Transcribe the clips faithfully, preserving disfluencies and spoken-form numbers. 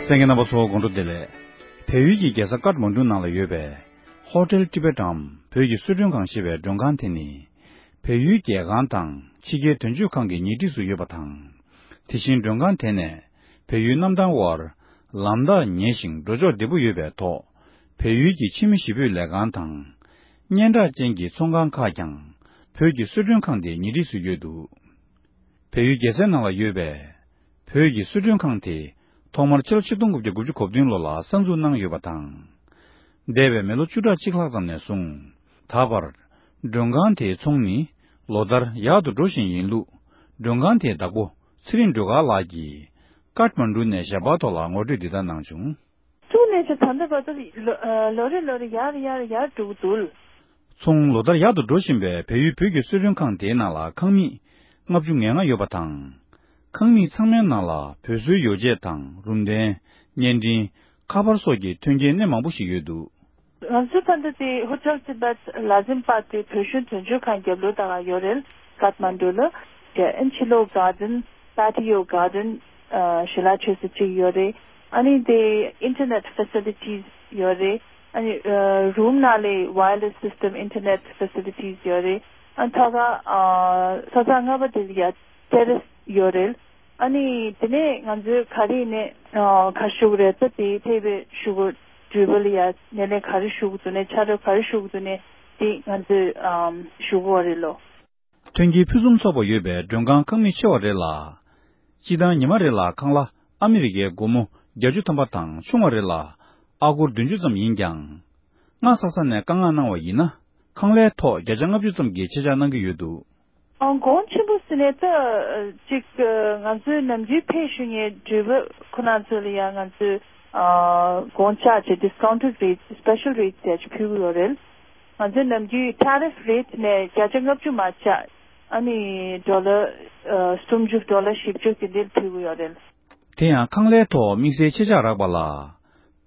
གསན་མཁན་རྣམ་པ་ཚོ་དགོང་དྲོ་བདེ་ལེགས། བལ་ཡུལ་གྱི་རྒྱལ་ས་ཀཏ་མན་ཌུ་ནང་ལ་ཡོད་པའི་Hotel Tibet འམ་བོད་ཀྱི་གསོལ་མགྲོན་ཁང་ཞེས་པའི་མགྲོན་ཁང་དེ་ནི། བལ་ཡུལ་རྒྱལ་ཁང་དང་ཕྱི་རྒྱལ་དོན་གཅོད་ཁང་གི་ཉེ་འཁྲིས་སུ་ཡོད་པ་དང་། དེ་བཞིན་མགྲོན་ཁང་དེ་ནས་བལ་ཡུལ་གནམ་ཐང་དབར་ལམ་ཐག་ཉེ་ཞིང་འགྲོ་ཕྱོགས་བདེ་པོ་ཡོད་པའི་ཐོག་བལ་ཡུལ་གྱི་ཕྱི་མི་ཞི་སྤོས་ལས་ཁང་དང་། སྙན་གྲགས་ཅན་གྱི་ཚོང་ཁང་ཁག་ཀྱང་བོད་ཀྱི་གསོལ་མགྲོན་ཁང་དེའི་ཉེ་འཁྲིས་སུ་ཡོད་འདུག་བལ་ཡུལ་རྒྱལ་སའི་ནང་ལ་ཡོད་པའི་བོད་ཀྱི་གསོལ་མགྲོན་ཁང་དེ་ཐོག་མར་ཕྱི་ལོ་ཆིག་སྟོང་དགུ་བརྒྱ་དགུ་བཅུ་གོ་བདུན་ལོ་ལ་གསར་འཛུགས་གནང་ཡོད་པ་དང་། འདས་པའི་མི་ལོ་བཅུ་ཕྲག་གཅིག་ལྷག་ཙམ་ནས་བཟུང་ད་བར་མགྲོན་ཁང་དེའི་ཚོང་ནི་ལོ་ལྟར་ཡག་ཏུ་འགྲོ་བཞིན་ཡིན་ལུགས་མགྲོན་ཁང་དེའི་བདག་པོ་ཚེ་རིང་སྒྲོལ་དཀར་ལགས་ཀྱིས་ཀཏ་མན་ཌུ་ནས་ཞལ་པར་ཐོག་ལ་ངོ་སྤྲོད་འདི་ལྟར་གནང་བྱུང་། ཐུག་ནས་ཆ་ད་ལྟ་བར་དུ་ལོ་ཨ་ལོ་རེ་ལོ་རེ་ཡར་ཡར་ཡར་འགྲོ་གི་འདུག་ཚོང་ལོ་ལྟར་ཡག་ཏུ་འགྲོ་བཞིན་པའི་བལ་ཡུལ་བོད་ཀྱི་གསོལ་མགྲོན་ཁང་དེའི་ནང་ལ་ཁང་མིག་ལྔ་བཅུ་ང་ལྔ་ཡོད་པ་དང་། ཁང་མིག་ཚང་མའི་ནང་ལ་བོད་བཟོའི་ཡོ་བྱད་དང་རུམ་གདན། བརྙན་འཕྲིན། ཁ་པར་སོགས་ཀྱི་མཐུན་རྐྱེན་སྣེ་མང་པོ་ཞིག་ཡོད་འདུག་ང་ཚོའི་ཕ་མཐའ་དེ་Hotel Tibet ལ་ཟིན་པ་དེ་བོད་གཞུང་དོན་གཅོད་ཁང་རྒྱབ་ལོགས་དག་ཡོད་རེད། ཀཏ་མན་ཌུ་ལ། དེ་ཨན་ཕྱི་ལོགས་གར་ཌན། པ་ཊི་ཡོ་གར་ཌན། ཨ་ཞལ་ལག་མཆོད་ས་གཅིག་ཡོད་རེད། ཨ་ནི་དེ་internet facilities ཡོད་རེད། ཨ་ནི་ཨ་རུམ་ནང་ལ་wireless system internet facilities ཡོད་རེད། ཨ་ཐོག་ཁ་ཨ་ས་ཚང་ལྔ་པ་དེ་ལ་ཡ་terrace ཡོད་རེད། ཨ་ནི་དེ་ནས་ང་ཚོས་ག་རེ་ནས་ཨ་ག་ཞུ་གི་རེད། ད་དེ་ཐེ་བའི་ཞུ་གི་འགྲུལ་པ་ལ་ཡ་སྣེ་ལེན་ག་རེ་ཞུ་གི་འདུག་ནས་ཕྱག་རོགས་ག་རེ་ཞུ་གི་འདུག་ནས་དེ་ང་ཚོས་ཨམ་ཞུ་གི་ཡོད་རེད་ལོ། མཐུན་རྐྱེན་ཕུན་སུམ་ཚོགས་པ་ཡོད་པའི་མགྲོན་ཁང་ཁང་མིག་ཆེ་བ་རེ་ལ། སྤྱི་བཏང་ཉི་མ་རེ་ལ་ཁང་གླ་ཨ་མི་རི་ཀའི་སྒོར་མོ་བརྒྱད་ཅུ་ཐམ་པ་དང་ཆུང་བ་རེ་ལ་ཨ་སྒོར་བདུན་ཅུ་ཙམ་ཡིན་ཀྱང་། སྔ་ས་ས་ནས་བཀའ་མངགས་གནང་བ་ཡིན་ན། ཁང་གླའི་ཐོག་བརྒྱ་ཆ་ལྔ་བཅུ་ཙམ་གྱི་ཆད་ཆག་གནང་གི་ཡོད་འདུག་ཨང་གོང་ཆེན་པོ་ཟེར་ནས་ད་ཅིག་ང་ཚོའི་ནམ་རྒྱུན་ཕེབས་བཞུགས་མཁན་འགྲུལ་པ་ཁོ་རང་ཚོ་ལ་ཡང་ང་ཚོས་ཨ་གོང་ཆག་ཅིག་discounted rates, special rates ཟེར་ཅིག་ཕུལ་གྱི་ཡོད་རེད། ང་ཚོའི་ནམ་རྒྱུན་tariff rate ནས་བརྒྱ་ཆ་ལྔ་བཅུ་མར་ཆག་ཨ་ནི་ཌོ་ལར་ཨ་སུམ་ཅུ་ཌོ་ལར་བཞི་བཅུ་དེ་འདྲ་ཕུལ་གྱི་ཡོད་རེད། དེ་ཡང་ཁང་གླའི་ཐོག་དམིགས་བསལ་ཆད་ཆག་རག་པ་ལ།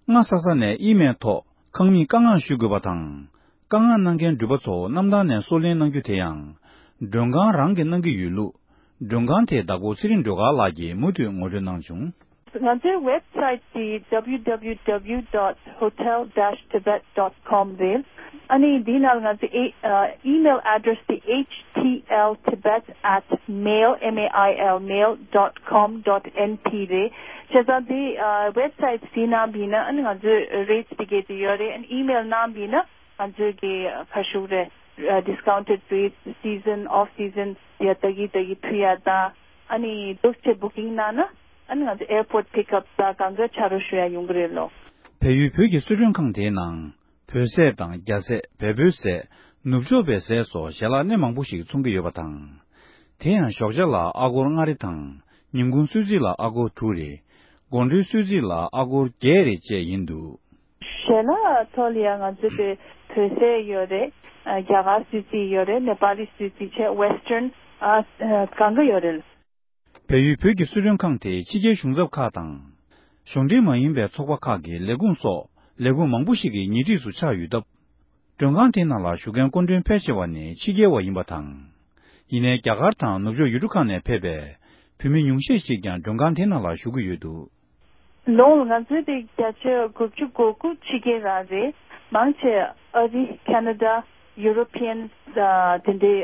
སྔ་ས་ས་ནས་ཨི་མེལ་ཐོག་ཁང་མིག་བཀའ་མངགས་ཞུ་དགོས་པ་དང་། བཀའ་མངགས་གནང་མཁན་འགྲུལ་པ་ཚོ་གནམ་ཐང་ནས་སོར་ལེན་གནང་རྒྱུ་དེ་ཡང་མགྲོན་ཁང་རང་གིས་གནང་གི་ཡོད་ལུགས་མགྲོན་ཁང་དེའི་བདག་པོ་ཚེ་རིང་སྒྲོལ་དཀར་ལགས་ཀྱིས་མུ་མཐུད་ངོ་སྤྲོད་གནང་བྱུང་། ང་ཚོའི་website དེ www dot hotel dash tibet dot com རེད། ཨ་ནི་འདིའི་ནང་ང་ཚོའི་ཨེ་ཨ་email address དེ H T L Tibet at mail, M A I L, mail dot com dot N T རེད། བྱས་ཙང་དེ་ཨ་website དེའི་ནང་བྱས་ན་ཨ་ནི་ང་ཚོའི་rates དེ་གས་དེ་ཡོད་རེད། ཨ་ནི་email ནང་བྱས་ན་ང་ཚོའི་གི་ཁ་ཤུགས་རེད། ཨ་discounted rates, season, off season ཡ་ད་གི་ད་གི་ཕུལ་ཡ་ད། ཨ་ནི་འདུག་ཅེས་booking གནང་ན་ཨ་ནི་ང་ཚོ་airport pickup ད་གང་ག་ཆ་རོགས་ཞུ་ཡ་ཡོང་གི་རེད་ལོ། བལ་ཡུལ་བོད་ཀྱི་གསོལ་མགྲོན་ཁང་དེའི་ནང་། བོད་ཟས་དང་རྒྱ་ཟས། བལ་པོའི་ཟས། ནུབ་ཕྱོགས་པའི་ཟས་སོགས་ཞལ་ལག་སྣེ་མང་པོ་ཞིག་འཚོང་གི་ཡོད་པ་དང་། དེ་ཡང་ཞོགས་ཇ་ལ་ཨ་སྒོར་ལྔ་རེ་དང་། ཉིན་གུང་གསོལ་ཚིགས་ལ་ཨ་སྒོར་དྲུག་རེ། དགོང་དྲོའི་གསོལ་ཚིགས་ལ་ཨ་སྒོར་བརྒྱད་རེ་བཅས་ཡིན་འདུག་ཞལ་ལག་ཐོག་ལ་ཡང་ང་ཚོ་དེ་བོད་ཟས་ཡོད་རེད། རྒྱ་གར་གསོལ་ཚིགས་ཡོད་རེད། ནེ་པ་ལི་གསོལ་ཚིགས་བྱས་western ཨ་གང་ག་ཡོད་རེད། བལ་ཡུལ་བོད་ཀྱི་གསོལ་མགྲོན་ཁང་དེ་ཕྱི་རྒྱལ་གཞུང་ཚབ་ཁག་དང་། གཞུང་འབྲེལ་མ་ཡིན་པའི་ཚོགས་པ་ཁག་གི་ལས་ཁུངས་སོགས་ལས་ཁུངས་མང་པོ་ཞིག་གི་ཉེ་འཁྲིས་སུ་ཆགས་ཡོད་སྟབས། མགྲོན་ཁང་དེའི་ནང་ལ་བཞུགས་མཁན་སྐུ་མགྲོན་ཕལ་ཆེ་བ་ནི་ཕྱི་རྒྱལ་བ་ཡིན་པ་དང་། ཡིན་ནའི་རྒྱ་གར་དང་ནུབ་ཕྱོགས་ཡུལ་གྲུ་ཁག་ནས་ཕེབས་པའི་བོད་མི་ཉུང་ཤས་ཤིག་ཀྱང་མགྲོན་ཁང་དེའི་ནང་ལ་བཞུགས་ཀྱི་ཡོད་འདུག་ལོ་ང་ཚོའི་དེ་བརྒྱ་ཆ་དགུ་བཅུ་གོ་དགུ་ཕྱི་རྒྱལ་རང་རེད། མང་ཆེ་ཨ་རི་ཁེ་ན་ཌ་ཡུ་རོ་པི་ཡན་དེ་འདྲའི་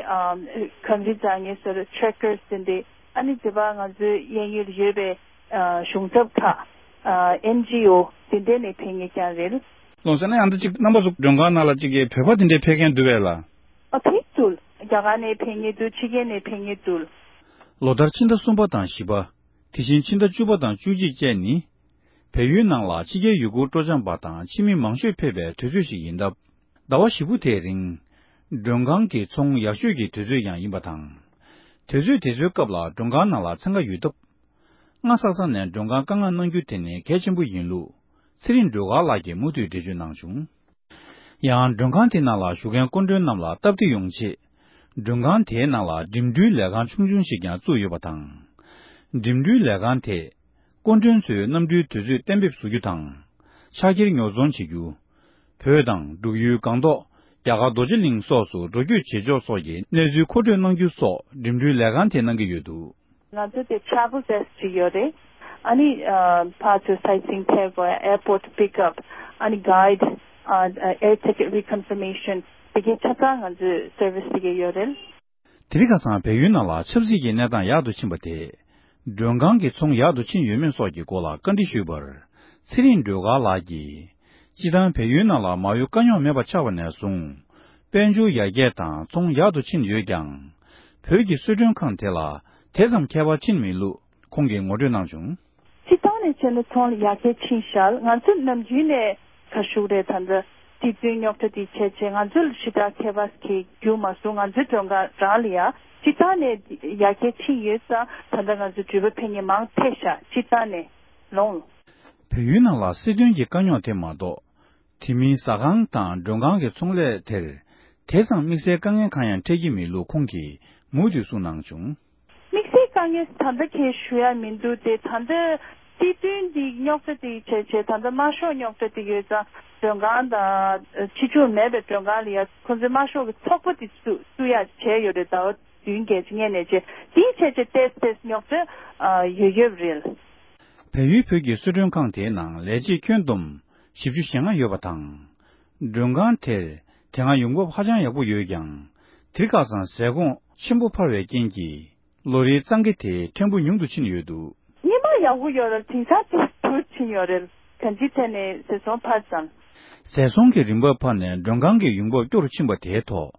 གངས་རི་འཛེག་མཁན་ཟེར་ཊྲེ་ཀར་སི་དེ་འདྲའི་ཨ་ནི་དེ་བ་ང་ཚོའི་གཡས་གཡོན་ཡོད་པའི་གཞུང་ཚབ་ཁག་ཨེན་ཇི་ཨོ་དེ་འདྲའི་ནས་ཕེབས་མཁན་ཀྱང་རེད། ལོ་ཟེར་ན་ཡང་ད་ཅིག་རྣམ་པ་ཚོ་མགྲོན་ཁང་ནང་ལ་ཅིག་གི་བོད་པ་དེ་འདྲའི་ཕེབས་མཁན་འདུག་བས་ལ། ཨ་ཕེབས་འདུག་རྒྱ་གར་ནས་ཕེབས་མཁན་འདུག་ཕྱི་རྒྱལ་ནས་ཕེབས་མཁན་འདུག་ལོ་ལྟར་ཕྱི་ཟླ་གསུམ་པ་དང་བཞི་པ། དེ་བཞིན་ཕྱི་ཟླ་བཅུ་པ་དང་བཅུ་གཅིག་བཅས་ནི། བལ་ཡུལ་ནང་ལ་ཕྱི་རྒྱལ་ཡུལ་སྐོར་སྤྲོ་འཆམ་པ་དང་ཕྱི་མི་མང་ཤོས་ཕེབས་པའི་དུས་ཚོད་ཞིག་ཡིན་སྟབས། ཟླ་བ་བཞི་པོ་དེའི་རིང་། མགྲོན་ཁང་གི་ཚོང་ཡག་ཤོས་ཀྱི་དུས་ཚོད་ཡང་ཡིན་པ་དང་། དུས་ཚོད་དེ་ཚོའི་སྐབས་ལ་མགྲོན་ཁང་ནང་ལ་འཚང་ཁ་ཡོད་སྟབས། སྔ་ས་ས་ནས་མགྲོན་ཁང་བཀའ་མངགས་གནང་རྒྱུ་དེ་ནི་གལ་ཆེན་པོ་ཡིན་ལུགས། ཚེ་རིང་སྒྲོལ་དཀར་ལགས་ཀྱིས་མུ་མཐུད་འགྲེལ་བརྗོད་གནང་བྱུང་། ཡང་མགྲོན་ཁང་དེ་ནང་ལ་བཞུགས་མཁན་སྐུ་མགྲོན་རྣམས་ལ་སྟབས་བདེ་ཡོང་ཆེད། མགྲོན་ཁང་དེའི་ནང་ལ་འགྲིམ་འགྲུལ་ལས་ཁང་ཆུང་ཆུང་ཞིག་ཀྱང་བཙུགས་ཡོད་པ་དང་། འགྲིམ་འགྲུལ་ལས་ཁང་དེས། སྐུ་མགྲོན་ཚོའི་གནམ་གྲུའི་དུས་ཚོད་གཏན་འབེབས་བཟོ་རྒྱུ་དང་། ཕྱག་འཁྱེར་ཉོ་ཚོང་བྱེད་རྒྱུ། བོད་དང་འབྲུག་ཡུལ་སྒང་ཏོག་རྒྱ་གར་རྡོ་རྗེ་གླིང་སོགས་སུ་འགྲོ་སྐྱོད་བྱེད་ཕྱོགས་སོགས་ཀྱི་གནས་ཚུལ་མཁོ་སྤྲོད་གནང་རྒྱུ་སོགས་འགྲིམ་འགྲུལ་ལས་ཁང་དེས་གནང་གི་ཡོད་འདུག་ང་ཚོ་དེ་travel desk ཅིག་ཡོད་རེད། ཨ་ནི་ཕར་ཚུར་སའེ་སི་ཡིང་ཐེབས་དགོས། airport pick up, ཨ་ནི་guide, air ticket reconfirmation, དེ་གའི་ཆ་ཚང་ང་ཚོའི་service དེ་གའི་ཡོད་རེད། དེ་རིང་ཁ་སང་བལ་ཡུལ་ནང་ལ་ཆབ་སྲིད་ཀྱི་གནས་སྟངས་ཡག་ཏུ་ཕྱིན་པ་དེས་མགྲོན་ཁང་གི་ཚོང་ཡག་ཏུ་ཕྱིན་ཡོད་མེད་སོགས་ཀྱི་སྐོར་ལ་བཀའ་འདྲི་ཞུས་པར། ཚེ་རིང་སྒྲོལ་དཀར་ལགས་ཀྱིས། སྤྱིར་བཏང་བལ་ཡུལ་ནང་ལ་མ་དངུལ་དཀའ་རྙོག་མེད་པ་ཆགས་པ་ནས་བཟུང་། དཔལ་འབྱོར་ཡར་རྒྱས་དང་ཚོང་ཡག་ཏུ་ཕྱིན་ཡོད་ཀྱང་། བོད་ཀྱི་གསོལ་མགྲོན་ཁང་དེ་ལ་དེ་ཙམ་ཁྱད་པར་ཕྱིན་མེད་ལུགས་ཁོང་གིས་ངོ་སྤྲོད་གནང་བྱུང་། སྤྱིར་བཏང་ནས་བྱས་ན་ཚོང་ཡར་རྒྱས་ཕྱིན་ཤག་ང་ཚོ་ནམ་རྒྱུན་ནས་ག་ཞུ་རེད། ད་ལྟ་སྲིད་དོན་རྙོག་དྲ་དེ་བྱས་བྱས་ང་ཚོ་ལ་ཞེ་དྲག་ཁྱད་པར་གྱི་རྒྱུ་མ་སོང་། ང་ཚོའི་མགྲོན་ཁང་རང་ལ་ཡ་སྤྱིར་བཏང་ནས་ཡར་རྒྱས་ཕྱིན་ཡོད་ཙང་། ད་ལྟ་ང་ཚོ་འགྲུལ་པ་ཕེབས་མཁན་མང་ཐལ་ཤག་སྤྱིར་བཏང་ནས་ལོངས། བལ་ཡུལ་ནང་ལ་སྲིད་དོན་གྱི་དཀའ་རྙོག་དེ་མ་གཏོགས། དེ་མིན་ཟ་ཁང་དང་མགྲོན་ཁང་གི་ཚོང་ལས་དེར་དེ་ཙམ་དམིགས་བསལ་དཀའ་ངལ་གང་ཡང་འཕྲད་ཀྱི་མེད་ལུགས་ཁོང་གིས་མུ་མཐུད་གསུངས་གནང་བྱུང་། དམིགས་བསལ་དཀའ་ངལ་ད་ལྟ་གས་ཞུ་ཡ་མི་འདུག་སྟེ། ད་ལྟ་སྲིད་དོན་འདི་རྙོག་དྲ་དེ་བྱས་བྱས། ད་ལྟ་དམར་ཤོག་རྙོག་དྲ་དེ་ཡོད་ཙང་མགྲོན་ཁང་དང་ཕྱི་ཕྱོགས་མེད་པའི་མགྲོན་ཁང་ལ་ཡ་ཁོང་ཚོའི་དམར་ཤོག་གི་ཚོགས་པ་དེ་བཙུགས་བཙུགས་ཡ་བྱས་ཡོད་རེད། ཟླ་བ་བདུན་བརྒྱད་ཅིག་སྔོན་ནས་བྱས། དེའི་བྱས་བྱས་ཏོག་ཙམ་རྙོག་དྲ་ཡོད་ཡོད་རེད། བལ་ཡུལ་བོད་ཀྱི་གསོལ་མགྲོན་ཁང་དེའི་ནང་ལས་བྱེད་ཁྱོན་བསྡོམས་བཞི་བཅུ་ཞེ་ལྔ་ཡོད་པ་དང་། མགྲོན་ཁང་དེར་དེ་སྔ་ཡོང་འབབ་ཧ་ཅང་ཡག་པོ་ཡོད་ཀྱང་། དེ་ཁ་སང་ཟས་གོང་ཆེན་པོ་འཕར་བའི་རྐྱེན་གྱིས། ལོ་རེའི་གཙང་ཁེ་དེ་ཕྲན་བུ་ཉུང་དུ་ཕྱིན་ཡོད་འདུག། སྔོན་མ་ཡག་པོ་ཡོད་རེད། དེང་སང་དེ་འཕར་ཕྱིན་ཡོད་རེད། གང་ཅིའི་ཐད་ནས་ཟས་སོང་འཕར་ཙང་། ཟས་སོང་གི་རིན་འབབ་འཕར་ནས་མགྲོན་ཁང་གི་ཡོང་འབབ་སྐྱོ་རུ་ཕྱིན་པ་དེའི་ཐོག་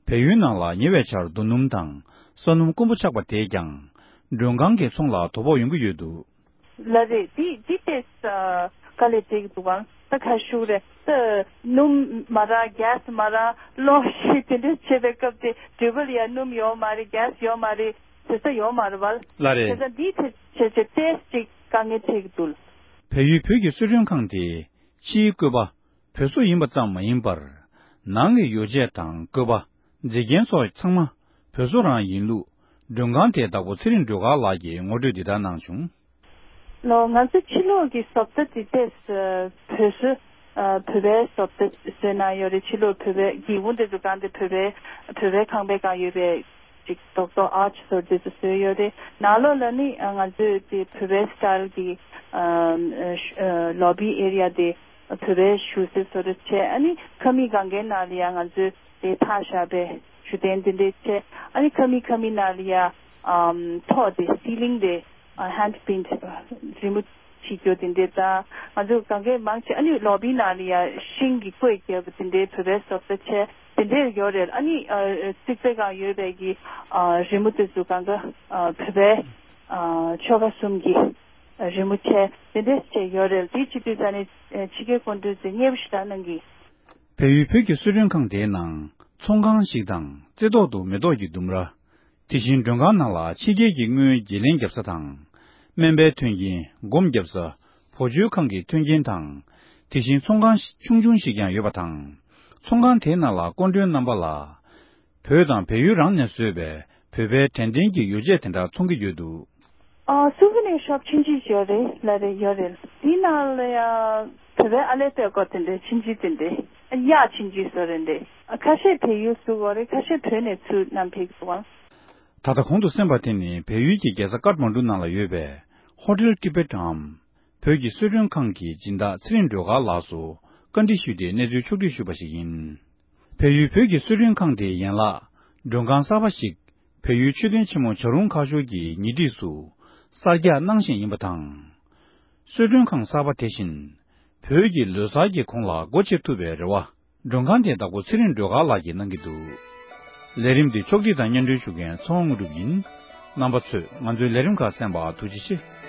བལ་ཡུལ་ནང་ལ་ཉེ་བའི་ཆར་རྡོ་སྣུམ་དང་ས་སྣུམ་དཀོན་པོ་ཆགས་པ་དེས་ཀྱང་། མགྲོན་ཁང་གི་ཚོང་ལ་དོ་ཕོག་ཡོང་གི་ཡོད་འདུག། ལགས་རེད། འདི་འདི་ཏོག་ཙམ་དཀའ་ལས་འཕྲད་ཀྱི་འདུག་གམ། ད་ག་ཞུ་རེད། ད་སྣུམ་མ་རག། གྷེ་སི་མ་རག། གློག་ཤིག་དེ་འདྲ་བྱེད་པའི་སྐབས་དེ་འགྲུལ་པ་ལ་ཡ་སྣུམ་ཡོད་མ་རེད། གྷེ་སི་ཡོད་མ་རེད། ཟས་ཡོད་མ་རེད་བ། ལགས་རེད། བྱས་ཙང་འདི་དེ་བྱས་བྱས་ཏོག་ཙམ་དཀའ་ངལ་འཕྲད་ཀྱི་འདུག། བལ་ཡུལ་བོད་ཀྱི་གསོལ་མགྲོན་ཁང་དེ་ཕྱིའི་བཀོད་པ་བོད་བཟོ་ཡིན་པ་ཙམ་མ་ཡིན་པར། ནང་གི་ཡོ་བྱད་དང་བཀོད་པ། མཛེས་རྒྱན་སོགས་ཚང་མ་བོད་བཟོ་རང་ཡིན་ལུགས། མགྲོན་ཁང་དེའི་བདག་པོ་ཚེ་རིང་སྒྲོལ་དཀར་ལགས་ཀྱིས་ངོ་སྤྲོད་འདི་ལྟར་གནང་བྱུང་། ལོ། ང་ཚོ་ཕྱི་ལོགས་ཀྱི་བཟོ་ལྟ་དེ་ཏོག་ཙམ་བོད་བཟོ། ཨ། བོད་པའི་བཟོ་ལྟ་བཟོས་གནང་ཡོད་རེད། ཕྱི་ལོགས་བོད་པའི་སྒེའུ་ཁུང་དེ་ཚོ་གང་དེ་བོད་པའི་བོད་པའི་ཁང་པའི་སྒང་ཡོད་པའི་ཅིག་རྡོག་རྡོག་ཨར་ཆི་བཟོ་དེ་ཚོ་བཟོས་ཡོད་རེད། ནང་ལོགས་ལ་ནི་ང་ཚོས་དེ་བོད་པའི་སི་ཊལ་གྱི་ཨ་ལོ་བི་ཨེ་རི་ཡ་དེ་བོད་པའི་བཞུགས་ས་བཟོ་འདྲ་བྱས། ཨ་ནི་ཁང་མིག་སྒང་གའི་ནང་ལ་ཡང་ང་ཚོས་དེ་ཐག་བཞག་པའི་བཞུགས་གདན་དེ་འདྲས་བྱས། ཨ་ནི་ཁང་མིག་ཁང་མིག་ནང་ལ་ཡང་ཨམ་ཐོག་དེ་སི་ལིང་དེ་ཨ་ཧེན་ཌི་པེན་ཊི་རི་མོ་བྱེད་རྒྱུ་དེ་འདྲས་དང་། ང་ཚོ་སྒང་གའི་མང་ཆེ་ཨ་ནི་ལོ་བི་ནང་ལ་ཡང་ཤིང་གི་བརྐོས་བརྒྱབ་པ་དེ་འདྲའི་བོད་པའི་བཟོ་ལྟ་བྱས་དེ་འདྲས་ཡོད་རེད། ཨ་ནི་ཨ་རྩིག་པའི་སྒང་ཡོད་པའི་གི་ཨ་རི་མོ་དེ་ཚོ་སྒང་ག་ཨ་བོད་པའི་ཨ་ཆོལ་ཁ་གསུམ་གྱི་རི་མོ་བྱས་དེ་འདྲས་བྱས་ཡོད་རེད། དེ་བྱེད་དུས་ཙ་ནས་ཕྱི་རྒྱལ་སྐུ་མགྲོན་ཚོས་མཉེས་པོ་ཞེ་དྲག་གནང་གི། བལ་ཡུལ་བོད་ཀྱི་གསོལ་མགྲོན་ཁང་དེའི་ནང་ཚོང་ཁང་ཞིག་དང་། རྩེ་ཐོག་ཏུ་མེ་ཏོག་གི་ལྡུམ་ར། དེ་བཞིན་མགྲོན་ཁང་ནང་ལ་ཕྱི་རྒྱལ་གྱི་དངུལ་བརྗེ་ལེན་བརྒྱབ་ས་དང་། སྨན་པའི་མཐུན་རྐྱེན། སྒོམ་བརྒྱབ་ས། བུ་བཅོལ་ཁང་གི་མཐུན་རྐྱེན་དང་། དེ་བཞིན་ཚོང་ཁང་ཆུང་ཆུང་ཞིག་ཀྱང་ཡོད་པ་དང་། ཚོང་ཁང་དེའི་ནང་ལ་སྐུ་མགྲོན་རྣམ་པ་ལ། བོད་དང་བལ་ཡུལ་རང་ནས་བཟོས་པའི་བོད་པའི་དྲན་རྟེན་གྱི་ཡོ་བྱད་དེ་འདྲ་འཚོང་གི་ཡོད་འདུག། ཨ། སུ་ཝེ་ནེར་ཤོབ་ཆུང་ཆུང་ཞིག་ཡོད་རེད། ལགས་རེད། ཡོད་རེད། དེའི་ནང་ལ་ཡ་བོད་པའི་ཨ་ལས་སྟོད་གོ་དེ་འདྲའི་ཆུང་ཆུང་དེ་འདྲའི་གཡག་ཆུང་ཆུང་བཟོ་རེད་འདྲ། ཨ། ཁ་ཤས་བལ་ཡུལ་བཟོ་གོ་རེད། ཁ་ཤས་བོད་ནས་ཚུར་བསྣམས་ཕེབས་སོང་། ད་ལྟ་གོང་དུ་གསན་པ་དེ་ནི་བལ་ཡུལ་གྱི་རྒྱལ་ས་ཀཏ་མན་ཌུ་ནང་ལ་ཡོད་པའི་ཧོ་ཊེལ་ཊི་བེཊ་འམ། བོད་ཀྱི་གསོལ་མགྲོན་ཁང་གི་སྦྱིན་བདག་ཚེ་རིང་སྒྲོལ་དཀར་ལགས་སུ་བཀའ་འདྲི་ཞུས་ཏེ་གནས་ཚུལ་ཕྱོགས་བསྒྲིགས་ཞུས་པ་ཞིག་ཡིན། བལ་ཡུལ་བོད་ཀྱི་གསོལ་མགྲོན་ཁང་དེའི་ཡན་ལག་མགྲོན་ཁང་གསར་པ་ཞིག་བལ་ཡུལ་མཆོད་རྟེན་ཆེན་མོ་བྱ་རུང་ཁ་ཤོར་གྱི་ཉེ་འཁྲིས་སུ་གསར་རྒྱག་གནང་བཞིན་ཡིན་པ་དང་། གསོལ་མགྲོན་ཁང་གསར་པ་དེ་བཞིན་བོད་ཀྱི་ལོ་གསར་གྱི་གོང་ལ་སྒོ་ཕྱེ་ཐུབ་པའི་རེ་བ་མགྲོན་ཁང་དེའི་བདག་པོ་ཚེ་རིང་སྒྲོལ་དཀར་ལགས་ཀྱིས་གནང་གི་འདུག། ལས་རིམ་འདི་ཕྱོགས་སྒྲིག་དང་སྙན་སྒྲོན་ཞུ་མཁན་ཚེ་དབང་དངོས་གྲུབ་ཡིན། རྣམ་པ་ཚོས་ང་ཚོའི་ལས་རིམ་ཁག་གསན་པར་ཐུགས་རྗེ་ཆེ།